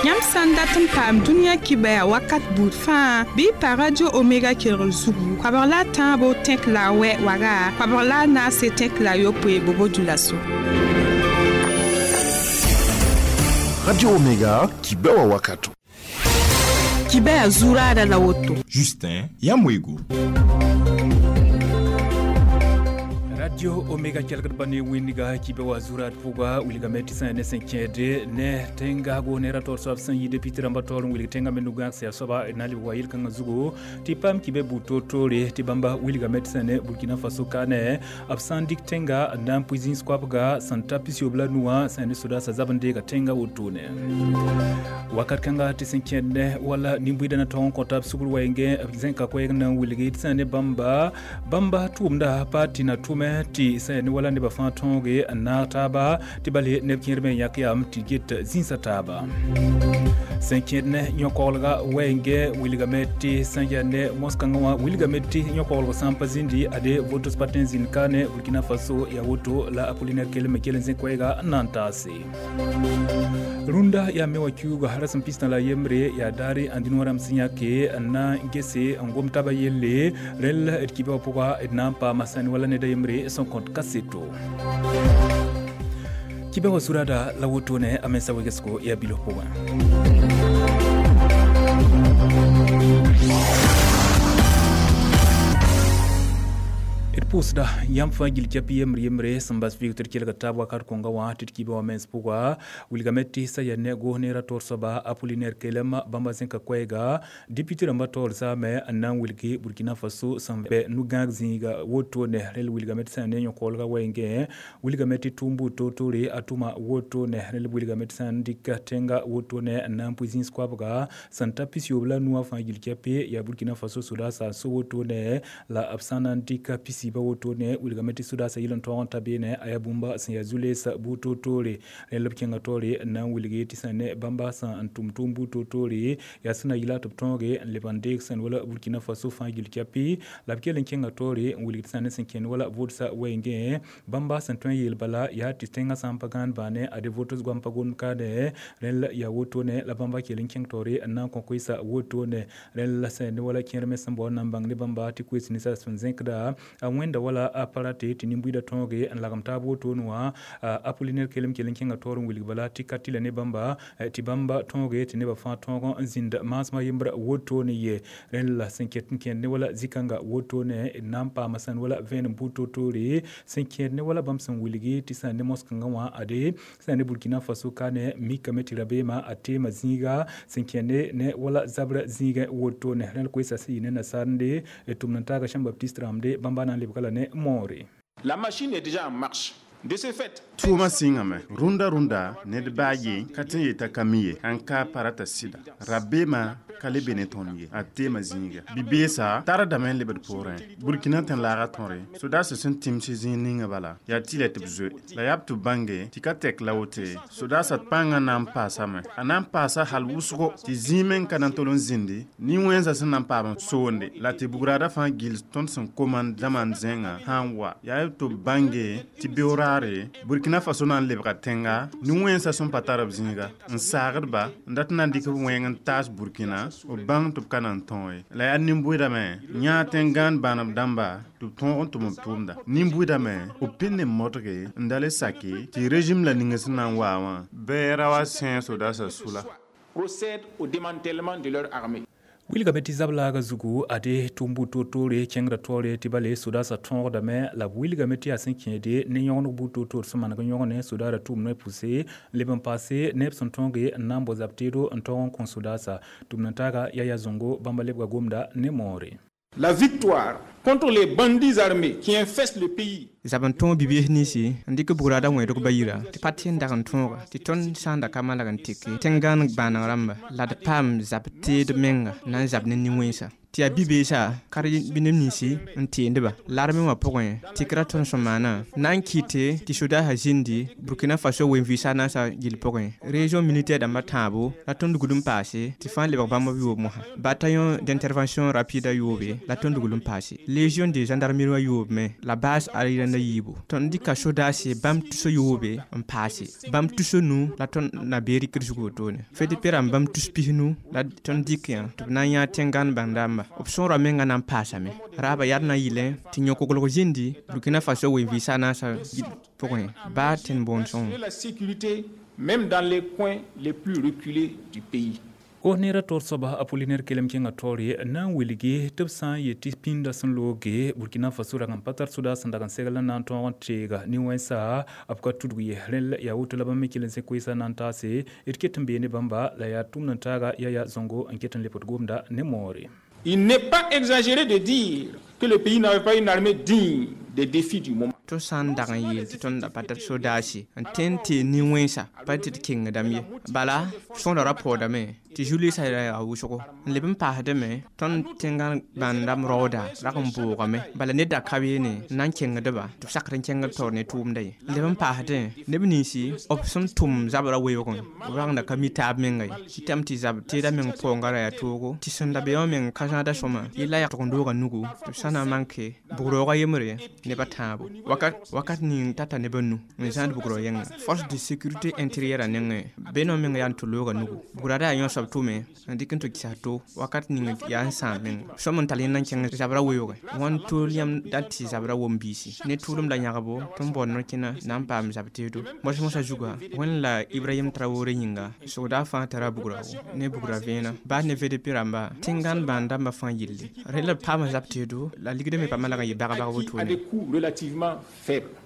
Yãmb sã n dat n paam dũniyã kibɛa wakat buud fãa bɩ y pa Radio Omega kelgr zugu koabg la a tãabo tẽk la a wɛ waga koabg la a naase tẽk la a yopoe bobo dulaso. Radio Omega, kibɛwa wakato. Kibɛa zuraada la woto. Justin Yamwego. Radio Omega kelgd ba ne wẽndga kibe wa zurat pʋga wilgame tɩ sã ne sẽn kẽede ne tẽn-gaasgo ne ra taoor soab sẽn yi député rãmbã taoor n wilg tẽngã me nu-gãag sẽn yaa soaba d na n lebg wa yel-kãngã zugu tɩ paam kibe buud toor-toore tɩ bãmba wilgame tɩ sã ne Burkina Faso kaane b sã n dɩk tẽnga n na n pʋɩ zĩis koabga sẽn ta pisiob la nu wã sã ne sodaasã zab n deega tẽngã wotone wakat kãnga tɩ sẽn kẽed ne wala nin-buiidã na tog n kõ tab sugr wɛɛngẽ b zẽka koɛɛg na n wilgi tɩ sã ne bãmba bãmba tʋʋmda pa tɩ na tʋme tɩ sã ne wala nebã fãa tõoge n naag taaba tɩ bale neb kẽer me yãk yam tɩ get zĩnsã taaba sẽn kẽed ne yõ-koglga wɛɛngẽ wilgame tɩ sã n yaa ne mos-kãngã wã wilgame tɩ yõ-koglg sã n pa zĩndi ade votos pa tõe n zĩnd ka ne Burkina Faso yaa woto la Apollinaire kell me kell n zẽ koɛɛga n na n taase rũndã yaa me wã kiuuga rasem pistã la yembre yaa daare ãndĩn rãmb sẽn yãke n na n gese n gom taaba yelle rẽl d kibã wã pʋga d na n paama sãn wala ned a yembre sẽn kõt kaseto kibã wã zurada la wotone a mensa wegesgo yaa bilf pʋgẽ. D pʋʋsda yãmb fãa gil kɛp yembre yembre sẽn bas vɩɩg tɩ d kelga taab wakat kõnga wã tɩ d kiba wã mens pʋga wilgame tɩ sã yaa ne goos neera taoor soaba Apollinaire Kelem bãmba zẽka koɛɛga député rãmbã taoor zaame n na n wilgi Burkina Faso sẽn bɛ nu-gãag zĩiga wotone rel wilgame tɩ sã ne yõ-koolga wɛɛngẽ wilgame tɩ tʋʋm buud toor-toore a tʋma wotone rel wilgame tɩ sã n dɩk tẽnga wotone n na n pʋɩ zĩis koabga sẽn ta pisiyoob la nu wã fãa gil kɛpe yaa Burkina Faso sodaasã n so wotone la b sã na n dɩk pisiiba wotone wilgame tɩ sodaasã yɩl n tõog n ta beene a yaa bũmba sẽn yaa zu-leesa buud toor-toore rẽnd la b kẽnga taoore n na n wilgi tɩ sã ne bãmba sẽn n tʋm tʋʋm buud toor-toore yaa sẽn na yɩla tɩ b tõoge n leb n deeg sẽn wala Burkina Faso fãa gil kɛpɩ la b kell n kẽnga taoore n wilg tɩ sã ne sẽn kẽnd wala vʋʋdsa wɛɛngẽ bãmba sẽn tõe n yeel bala yaa tɩ tẽngã sã n pa gãan bãane ade votos goam pa gomd kaane rẽnd yaa wotone la bãmba kell n kẽng taoore n na n kõ koeesa wotone rẽnd la sẽn ne wala kẽer me sẽn bao n na n bãng ne bãmba tɩ koees ninsã sẽn zẽkda a wẽnda wala a parate tɩ nin-buiidã tõoge n lagem taab wotone wã Apollinaire Kelem kell n kẽnga taoor n wilg bala tɩ ka tɩla ne bãmba tɩ bãmba tõoge tɩ nebã fãa tõog n zĩnd maasmã yembra wotone ye rẽnd la sẽn ket n kẽed ne wala zĩ-kãnga wotone d na n paama sãn wala vẽenem buud toor-toore sẽn kẽed ne wala bãmb sẽn wilgi tɩ sã ne mos-kãngã wã ade sã ne Burkina Faso kaane mikame tɩ rabeemã a teema zĩiga sẽn kẽed ne wala zabra zĩigẽ wotone rẽnd koeesa sẽn yɩ ne nasaarende tʋmd n taaga Jean Baptiste rãmde bãmba na n lebga la ne moore. La machine est déjà en marche. De ce fait, tʋʋmã sɩngame rũndã rũndã ned baa ye ka tõe n yeta ka mi ye ãn ka parata sɩda rabeemã ka le be ne tõnd ye a teema zĩiga bi-beesã tardame n lebd poorẽ Burkina tẽn-laagã tõre sodaasã sẽn tɩms zĩig ninga bala yaa tɩ la tɩ b zoe la yaa b tɩ b bãnge tɩ ka tɛk la wote sodaasã pãngã na n paasame a na n paasa hal wʋsgo tɩ zĩig meng ka na n tol n zĩndi nin-wẽnsã sẽn na n paam n soonde la tɩ bugraadã fãa gil tõnd sẽn koman dãmã n zẽngã sã n wa yaa tɩ b bãnge tɩ beoog Burkina Faso na n lebga tẽnga nin-wẽnsã sẽn pa tar b zĩiga n saagdba n dat n na n dɩk b wẽng n taas Burkina b bãng tɩ b ka na n tõog ye la yaa nin-bʋɩdame yãa tẽn-gãan bãaneb dãmba tɩ b tõog n tʋm b tʋʋmda nin-bʋɩdame b pɩnd n modge n da le sake tɩ régime la ning sẽn na n waa wã bɩ ra wa sẽe sodaasã sʋla. Procèdent au démantèlement de leur armée. Wilgame tɩ zab-laaga zugu ade tʋʋm buud toor-toore kẽngda taoore tɩ bale sodaasã tõogdame la b wilgame tɩ yaa sẽn kẽede ne yõgeneg buud toor-toor sẽn maneg n yõgne sodaara tʋʋm noy pʋse leb n paase neb sẽn tõoge n na n bao zab teedo n taoog n kõ sodaasa tʋmd n taaga Yaya Zongo bãmba lebga gomda ne moore. La victoire contre les bandits armés qui infestent le pays. Zab n tõog bi-bees ninsi n dɩk bugraadã wẽedg ba yira tɩ pa tɩ n dag n tõoga tɩ tõnd sã n da ka malag n teke tẽn-gãan bãaneg rãmba la d paam zab teed menga na n zab ne nin-wẽnsa Tɩ yaa bi-beesã ka bɩ neb ninsi n teendba larme wã pʋgẽ tɩ ra tõnd sẽn maana na n kɩte tɩ sodaasã zĩndi Burkina Faso wen-vɩɩsã naasã gill pʋgẽ région militaire dãmbã tãabo la tõnd gul n paase tɩ fãa lebg bãmb b yoob mosã bataillon d'intervention rapide a yoobe la tõnd gul n paase légion de gendarmerie wã yoobme la base aérienne yiibu tõnd dɩka sodaase bãmb tuso yoobe n paase bãmb tuso nu la tõnd na bee rɩkd zug wotone FDP rãmb bãmb tus pisnu la tõnd dɩk yã tɩ b na n yã tẽngãn bãn-dãmba b sõora menga na n paasame raaba yaa d na n yɩlẽ tɩ yõ-koglg zĩndi Burkina Faso wen-vɩɩsã naasã pʋgẽ baa tẽn boond sõng. La sécurité même dans les coins les plus reculés du pays. Ko neera taoor soaba Apollinaire kelem kẽngã taoore na n wilgi tɩ b sã n yet tɩ pĩndã sẽn looge Burkina Faso rag n pa tar sodaas sẽn dag n segl n na n tõog n teega nin-wẽnsa b ka tudg ye rẽnd yaa woto la bãmb me kell n sẽ koeesã na n taase d ket n bee ne bãmba la yaa tʋmd n taaga Yaya Zongo n ket n lebd gomda ne moore. Il n'est pas exagéré de dire que le pays n'avait pas une armée digne des défis du moment. Tõnd sã n dag n yeel tɩ tõnd pa tar sodaase n tõe n tee nin-wẽnsa pa tɩ d kengdame ye bala sõora ra paoodame tɩ Julius ra yaa wʋsgo n leb n paasdame tõnd tẽngã bãn-dãmb raooda rag n boogame bala ned da ka beene n na n kengdba tɩ b sakd n kẽngd taoor ne tʋʋmda ye n leb n paasdẽ neb ninsi b sẽn tʋm zabrã weoogẽ b rag da ka mi taab menga ye tɩtame tɩ zab teeda meng paoongã ra yaa toogo tɩ sẽn da be wã meng ka zãada sõma yella yaa tʋg-n-doogã nugu tɩ b sã na n manke bug-raoogã yembre nebã tãabo wakat ning tata nebã nu n zãad bugrã yẽnga force de sécurité intérieure a nengẽ benõ meng yaa n tʋ looga nugu bugrã ra yaa yõ soab tʋme n dɩk n tɩ kɩsas to wakat ning yaa n sãam menga sõm n tall yẽnd n kẽng zabrã weoogẽ wãn tool yãmb dat tɩ zabrã wom biisi ne tʋʋlem la yãgbo tɩ n bao no-kẽna na n paam zab teedo mos-mosã zuga Wẽnd la Ibrahim Traoré yĩnga sogda fãa tara bugrã ne bugrã vẽenã baas ne VDP rãmba tẽngãn bãn-dãmbã fãa yelle rẽ la b paama zab teedo la ligdã me paama lag n yɩ bag-bag wotone. Relativement faible.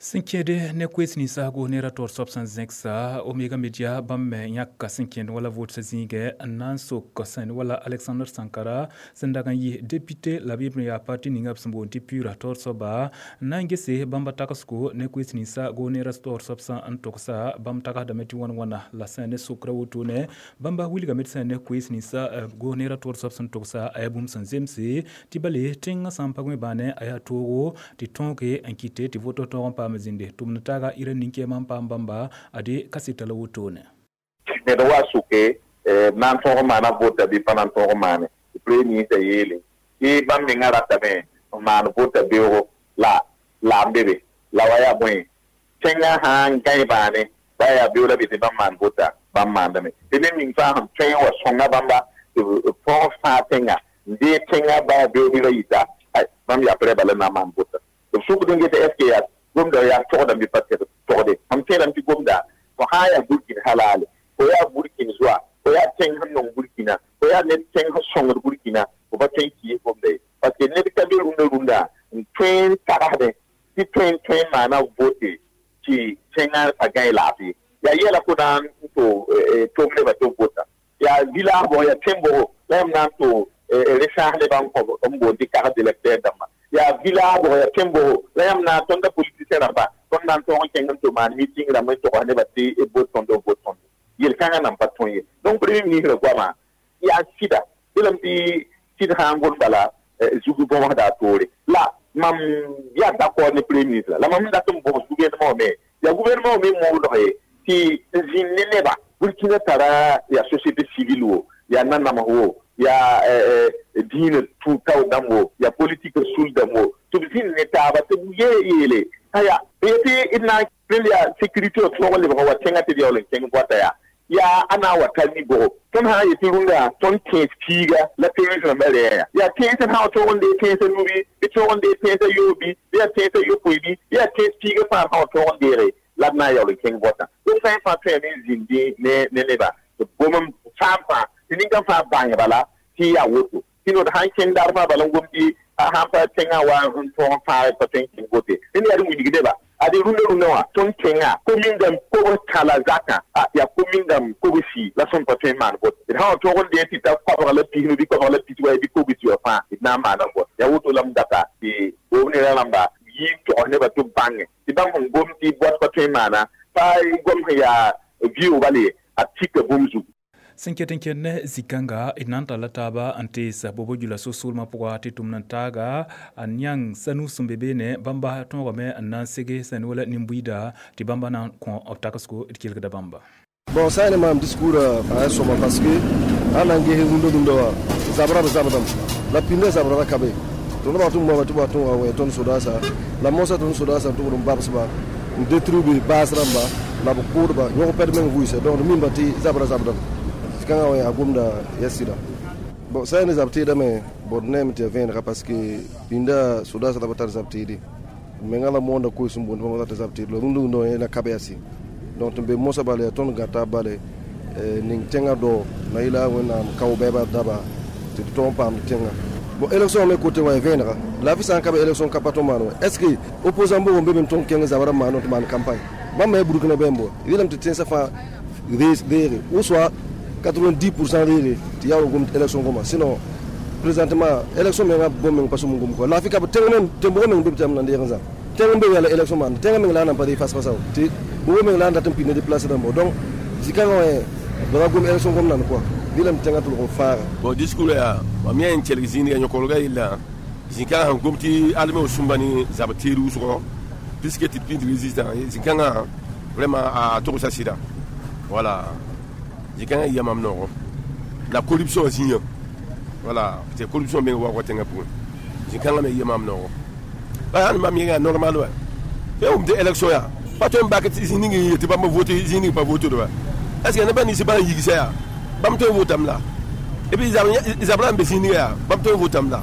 Sẽn kẽede ne koees ninsaago ne ra taoor soab sẽn zẽksa Omega Media bãmb me yãka sẽn kẽnd wala votsa zĩigẽ n na n sok sẽn wala Alexander Sankara sẽn dag n yɩ député la b yembr yaa parti ninga b sẽn boond tɩ PUR taoor soaba n na n gese bãmba tagsgo ne koees ninsaago ne ra taoor soab sã n togsa bãmb tagsdame tɩ wãn wãna la sẽn ne sokra wotone bãmba wilgame tɩ sẽn ne koees ninsaago ne ra taoor soab sẽn togsa a yaa bũmb sẽn zemse tɩ bale tẽngã sã n pag me bãane a yaa toogo tɩ tõoge n kɩte tɩ voto tõog n paam zĩnde tʋmd taaga ira nin-kɛɛmã n paam bãmba ade kaseta la wotone. Ned wa sʋke na n tõog n maana vota bɩ pa na n tõog n maane tɩ premier ministre yeele tɩ bãmb mengã ratame n maan vota beoogo la la n be be la wa yaa bõe tẽngã sã n gãe bãane ba yaa beoog la be tɩ bãmb maan vota bãmb maandame tɩ ned ning fãa sẽn tõe n wa sõnga bãmba tɩ b tõog fãa tẽnga n dee tẽngã ba yaa beoog bɩ ra yita bãmb yaprɛ bala na n maan vota tɩ b sʋkd n get est ce que yaa gomda yaa togdame bɩ pa togde mam tẽedame tɩ gomda fo sã n yaa Burkina halale fo yaa Burkina zoa fo yaa tẽng sẽn nong Burkina fo yaa ned tẽng sẽn sõngd Burkina fo pa tõe n kiis gomda ye parce que ned ka be rũndã rũndã n tõe n tagsdẽ tɩ tõe n tõe n maana vote tɩ tẽngã pa gãe laafɩ yaa yɛla fo na n to tʋm nebã tɩ b vota yaa village bʋg yaa tẽn bʋgo la yãmb na n to resaas nebã n boond tɩ carte d'électeur dãmba yaa village bʋg yaa tẽn bʋgo la yãmb na n tõnda politicien rãmba tõnd na n tõog n kẽng n tɩ maan meeting rãmb n togs nebã tɩ b bot tõnd b bot tõnd yel-kãngã nan pa tõe ye donc premier ministre goamã yaa sɩda belame tɩ sɩd sã n gom bala zug bõmsda a toore la mam yaa d'accord ne premier ministre la mam dat n bõs gouvernement me yaa gouvernement me moodg ye tɩ n zĩnd ne neba Burkina tara yaa société civile wo yaa nanams wo yaa diinã tũ-tao dãmb wo yaa politique sul dãmb wo tɩ b zĩnd ne taaba tɩ b yeele aya tɩ d na n yaa sécurité tõog n lebg n wa tẽngã tɩ d yaool n kẽng bɔta yaa yaa a na n wa tar ni-bʋgo tõnd sã n yetɩ rũndã tõnd kẽes piiga la tẽns rãmbã rɛɛ yaa tẽns sã n tõog n dee tẽnsã nubi bɩ tõog n dee tẽnsã yoobi bɩ yaa tẽnsã yopoe bɩ yaa tẽns piiga fãa sã n tõog n deege la d na n yaool n kẽng bɔtã donc sã n fãa tõeme n zĩndi ne neba tɩ gom n fãam fãa tɩ nin-kãng fãa bãng bala tɩ yaa woto tɩ nod sã n kẽng daar fãa bala n gom tɩ sãn pa tẽngã wa n tõog n fãag pa tõe n kẽng vote ned yaa d wilg neba ade rũndã rũndã wã tõnd kẽngã komingame kobs kãla zakã yaa komingame kobsi la sẽn pa tõe n maan vote d sã n tõog n dee tɩ ta koabg la pisnu bɩ koabg la pis wa bɩ kobsi wã fãa d na n maana vot yaa woto la m data tɩ gom neda rãmba yɩ n togs nebã tɩ b bãnge tɩ bãmb sẽn gom tɩ bɔt pa tõe n maana pa gom sẽn yaa vɩʋʋg bala ye a tika bũmb zugu. Sẽn ket n kẽnd ne zĩ-kãnga d na n talla taaba n tees bobo jula so-soolmã pʋga tɩ tʋmd n taaga a yãng sanu sẽn be beene bãmba tõogame n na n sege sẽn wala nin-buiida tɩ bãmba na n kõ b tagsgo d kelgda bãmba. Bon, ça c'est un discours à soma parce que an an gehe rundo dundo wa zabra zabdam la pinne zabra kabe to no ba tun ba tun wa ton sodasa la mosa ton sodasa to dum babs ba détruire base ramba la ko ba nyoko ped men vuise donc min bati zabra zabdam kanga wa agumda yasira. Bon, ça ne zabti da me bodnem te venra parce que pinda sodasa da batar zabti di menga la monda ko sum bon ba zabti lo rundo dundo na kabe yasi. Donc be mosa bale ton gata bale ning tenga do na ila wona kaw beba daba te ton pam tenga. Bon, élection me côté wa venra la vie sans kabe élection kapato mano est-ce que opposant bo be ton kenga zabara mano to man campagne ba me burkina bembo ilam te tensa fa rere ou soit 90% rere ti yawo gum élection goma. Sinon présentement élection me ngam bom me passo mungum ko la fi ka tenga men tembo men be tam na ndenza tenga be yala élection man tenga men la na pa face face ti bo men la na tam pine déplacer dans donc zikanga we ba gum élection gom nan quoi dilam tenga to ko fara. Bon, discours ya ma mien kelg zĩniga yõkolga yella zĩ-kãngã sẽn gom tɩ alme sũmba ne zab teer wʋsgɔ puisque tɩ pĩnd résistant zĩ-kãngã vraiment a togsa sɩda. Voilà, zĩ-kãngã yia mam noogo la corruption zĩyã. Voilà, tɩ corruption meng wa tẽngã pʋgẽ zĩ-kãngã me yia mam noogo ba mam yẽnga normal wa tɩ wʋm tɩ élection yaa pa tõe n bak tɩ zĩ ning n yetɩ bãmb vote zĩ ning pa vote wa est ce que neba ninsã bã n yigsa yaa bãmb tõe n votam la et puis zabra n be zĩ ninga yaa bãmb tõe n votam la.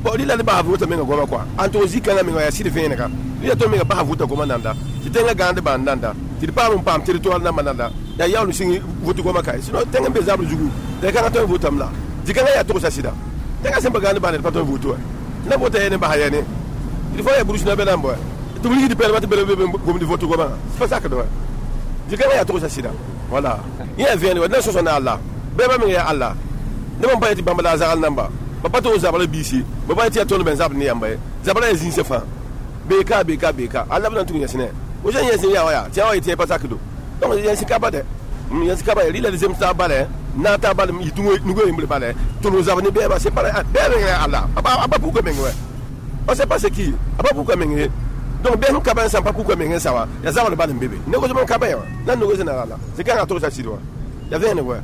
Bon, rɩla ne basa vota menga goama quoi an tog zĩ-kãngã menga yaa sɩd vẽenega rɩla tõe menga basa vota goma nanda tɩ tẽngã gãand bãan nanda tɩ d paam n paam territoire namba nanda yaa yaool n sɩng vote goma kae sinon tẽng n be zabr zugu tɩ kãngã tõe n votam la zĩ-kãngã yaa togsa sɩda tẽngã sẽn pa gãand bãan d pa tõe n voto wa na vota yɛ ne basa yɛ ne il faut ya burusna be nan bɔ tɩ b rigd pɛlma tɩ bele be gomd vote goma pa sakd wa zĩ-kãngã yaa togsa sɩda. Voilà, yẽ yaa vẽeneg wa d na sõsa ne Allah bɛɛbã meng yaa Allah neb n pa yetɩ bãmb la a zagal namba ba pa tɩ zabra biisi ba pa yetɩ yaa tõnd ben zabr ne yãmba ye zabra yaa zĩnsã fãa beeka beeka beeka alla b na n tʋg yẽsne wo sẽn yẽsẽ yaa wa yaa tɩ yaa wa yetɩ pa sakdo donc yẽs ka ba dɛ yẽs ka ba rɩla d zems taab bala na taab bala yɩ nugo yembre bala tʋlg zabr ne bɛɛba c'est pas bɛɛb meng yaa Allah a pa puka meng wa on sait pas c'est qui a pa puka meng ye donc bɛɛ sẽn ka ba n sã n pa puka meng n sa wa yaa zabr bal n be be négociation ka ba ya wa na négocier na Allah c'est kãngã togsa sɩd wa yaa vẽeneg wa.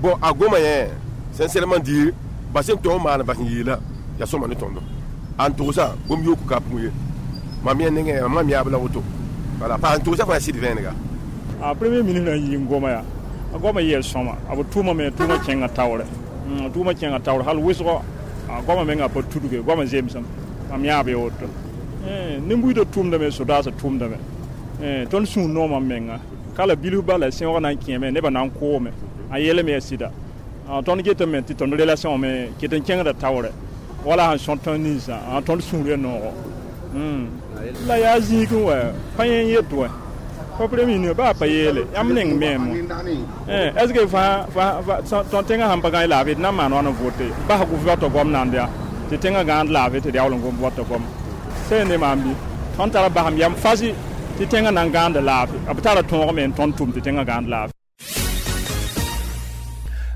Bon, a goma yẽ sincèrement dire ba sẽn tõog maan bas n yeela yaa sõma ne tõndo an togsa gom yook ka pʋgẽ ye mam yẽ nengẽ mam yaab la woto. Voilà, pa n togsa fãa sɩd vẽenega. A premier ministre n yɩ n goma yaa a goama yɛl sõma a b tʋʋma me tʋʋma kẽngã taoore tʋʋma kẽngã taoore hal wʋsgo a goama menga pa tudge goama zemsem mam yaab ya woto nin-buiidã tʋʋmdame sodaasã tʋʋmdame tõnd sũur noomã menga ka la bilf bala sẽoog na n kẽeme nebã na n koome a yeelame yaa sɩda tõnd getame tɩ tõnd relation me ket n kẽngda taoore wala sẽn sõt tõnd ninsã tõnd sũur ya noogo la yaa zĩig n wa pa yẽ n yet wa pa premier ministre baa pa yeele yãmb neng meemo est ce que fãa tõnd tẽngã sãn pa gãe laafɩ d na n maan wãn n vote bas gʋf wata goam nand yaa tɩ tẽngã gãand laafɩ tɩ d yaool n gom wata goam sẽn ne maam bɩ tõnd tara basem yam fasi tɩ tẽngã na n gãanda laafɩ b tara tõog me n tõnd tʋm tɩ tẽngã gãand laafɩ.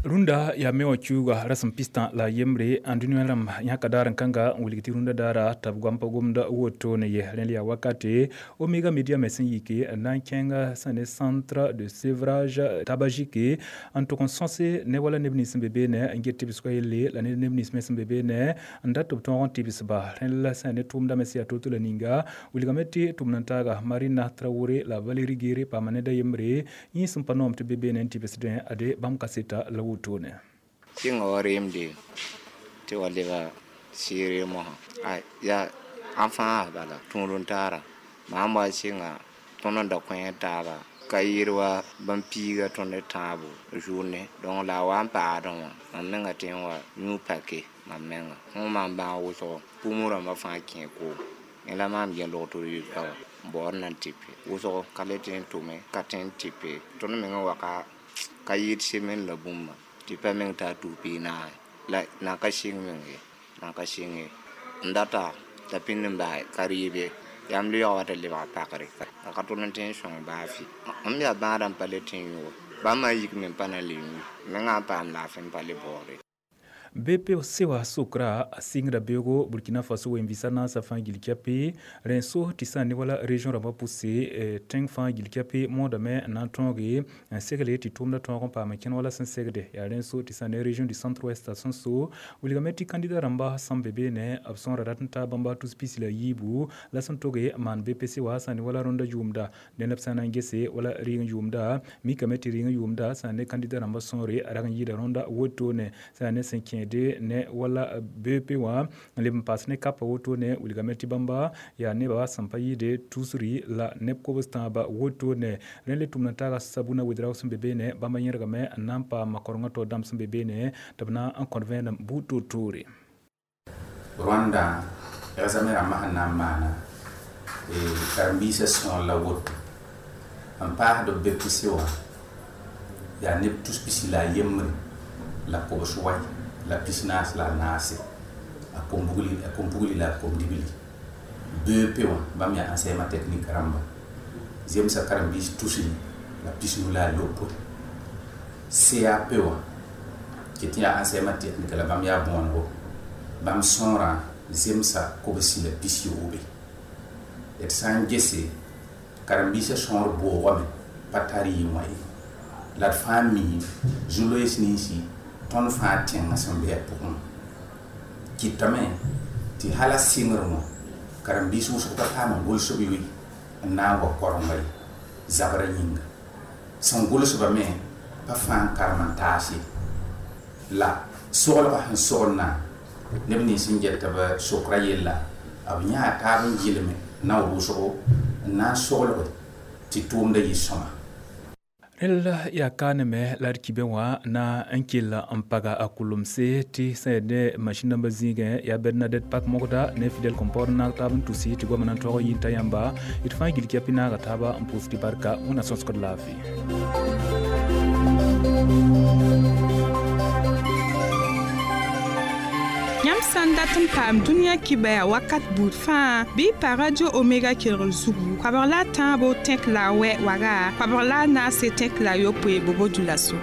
Rũndã yaa me wã kiuuga rasem pistã la yembre n dũniyã rãmb yãka daar n kãnga n wilg tɩ rũndã daara t'a b goam pa gomda wotone ye rẽnd yaa wakate Omega Media me sẽn yike n na n kẽnga sẽn ne centre de sevrage tabagique n tʋg n sõse ne wala neb nins sẽn be beene n get tɩbsgã yelle la ne neb nins me sẽn be beene n dat tɩ b tõog n tɩbsba rẽnd la sẽn ne tʋʋmdã me sẽn yaa to-to la ninga wilgame tɩ tʋmd n taaga Marina Traoré la Valérie Guéré paama ned a yembre yẽ sẽn pa noom tɩ be beene n tɩbsdẽ ade bãmb kaseta la wotone. Sɩnga wa reemde tɩ wa leba sɩɩre mosã a yaa ãn fãa bala tũud n taara maam wa sɩnga tõnd n da kõ taaba ka yɩɩd wa bãmb piiga tõnd tãabo journée donc la a wa n paadẽ wã mam menga tɩ n wa yũ pake mam menga fõ maam bãag wʋsgo pʋʋm rãmbã fãa kẽ koom yẽ la maam gẽ log tɩ d yʋ pa wa n baood na n tɩpe wʋsgo ka le tɩ n tʋme ka tɩ n tɩpe tõnd mengã wa ka yɩɩd semen la bũmba tɩ pa meng t'a tus pii-naase la na ka sɩng meng ye na ka sɩng ye n data t'a pĩnd n bas ka rɩɩb ye yãmb leoog wa tɩ lebg pakre a ka tʋl n tɩ n sõng baa fɩ m yaa bãadã n pa le tɩ n yʋge Bãmb a yik me n pa na le yũ mengã n paam laafɩ n pa le baoode. BP sewa sokra a sɩngda beoogo Burkina Faso wen-vɩsa naasã fãa gil kɛpe rẽn so tɩ sã n ne wala région rãmbã pʋse tẽng fãa gil kɛpe moodame n na n tõoge n segle tɩ tʋʋmdã tõog n paam n kẽn wala sẽn segde yaa rẽn so tɩ sã ne région du centre ouest sẽn so wilgame tɩ kandida rãmba sẽn be beene b sõora rat n taa bãmba tus pis la yiibu la sẽn toge n maan BPC wã sã ne wala rõndã yʋʋmda dẽnd b sã na n gese wala rɩɩng yʋʋmda mikame tɩ rɩɩng yʋʋmda sã ne kandida rãmbã sõore a rag n yɩɩda rõndã wotone sã ne sẽn kẽede ne wala BP wã n leb n paas ne kapa wotone wilgame tɩ bãmba yaa nebã sẽn pa yɩɩde tusri la neb kobs tãabã wotone rẽ le tʋmd n taaga sabuna wedraoog sẽn be beene bãmba yẽrgame n na n paam korengã taoor dãmb sẽn be beene tɩ b na n kõt vẽenem buud toor-toore. Rwanda examen rãmbã sẽn na n maana karen-biisã sõor la woto n paasd b BPC wã yaa neb tus pisi la a yembre la kobs wai la pisnaas la a naase a kom-pugli la a kom-dibli. BEP wã bãmb yaa enseignement technique rãmba zemsa karen-biis tusri la pisnu la a lopoe. CAP wã ket n yaa enseignement technique la bãmb yaa bõonego bãmb sõorã zemsa kobsi la pis yoobe. D sã n gese karen-biisã sõor boogame pa tar yɩ wã ye la d fãa mi zu-loees ninsi tõnd fãa tẽngã sẽn be a pʋgẽ kɩtame tɩ hala sɩngr wã karen-biis wʋsg pa paam n gʋlsb yoe n na n wa korenga ye zabrã yĩnga sẽn gʋlsba me pa fãa n karem n taas ye la soglgã sẽn soglna neb nins sẽn get b sokra yella b yãa taab n gɩlme na wʋsgo n na n soglge tɩ tʋʋmda yɩ sõma. Rẽl yaa kaaneme la d kibẽ wã na n kell n paga a kʋlʋmse tɩ sẽn yaa ne masĩn dãmbã zĩigẽ yaa Bernadette Pak Mogda ne Fidel Compor n naag taab n tusi tɩ goamã na n tõog n yĩn t'a yãmba d fãa gil kɛpɩ naaga taaba n pʋʋs tɩ barka wẽnna sõsgd laafɩ. Yãmb sã n dat n paam dũniyã kibaya wakat buud fãa bɩ y pa Radio Omega kelgr zugu koabg la a tãabo tẽk la a wɛ waga koabg la a naase tẽk la a yopoe bobo dulaso.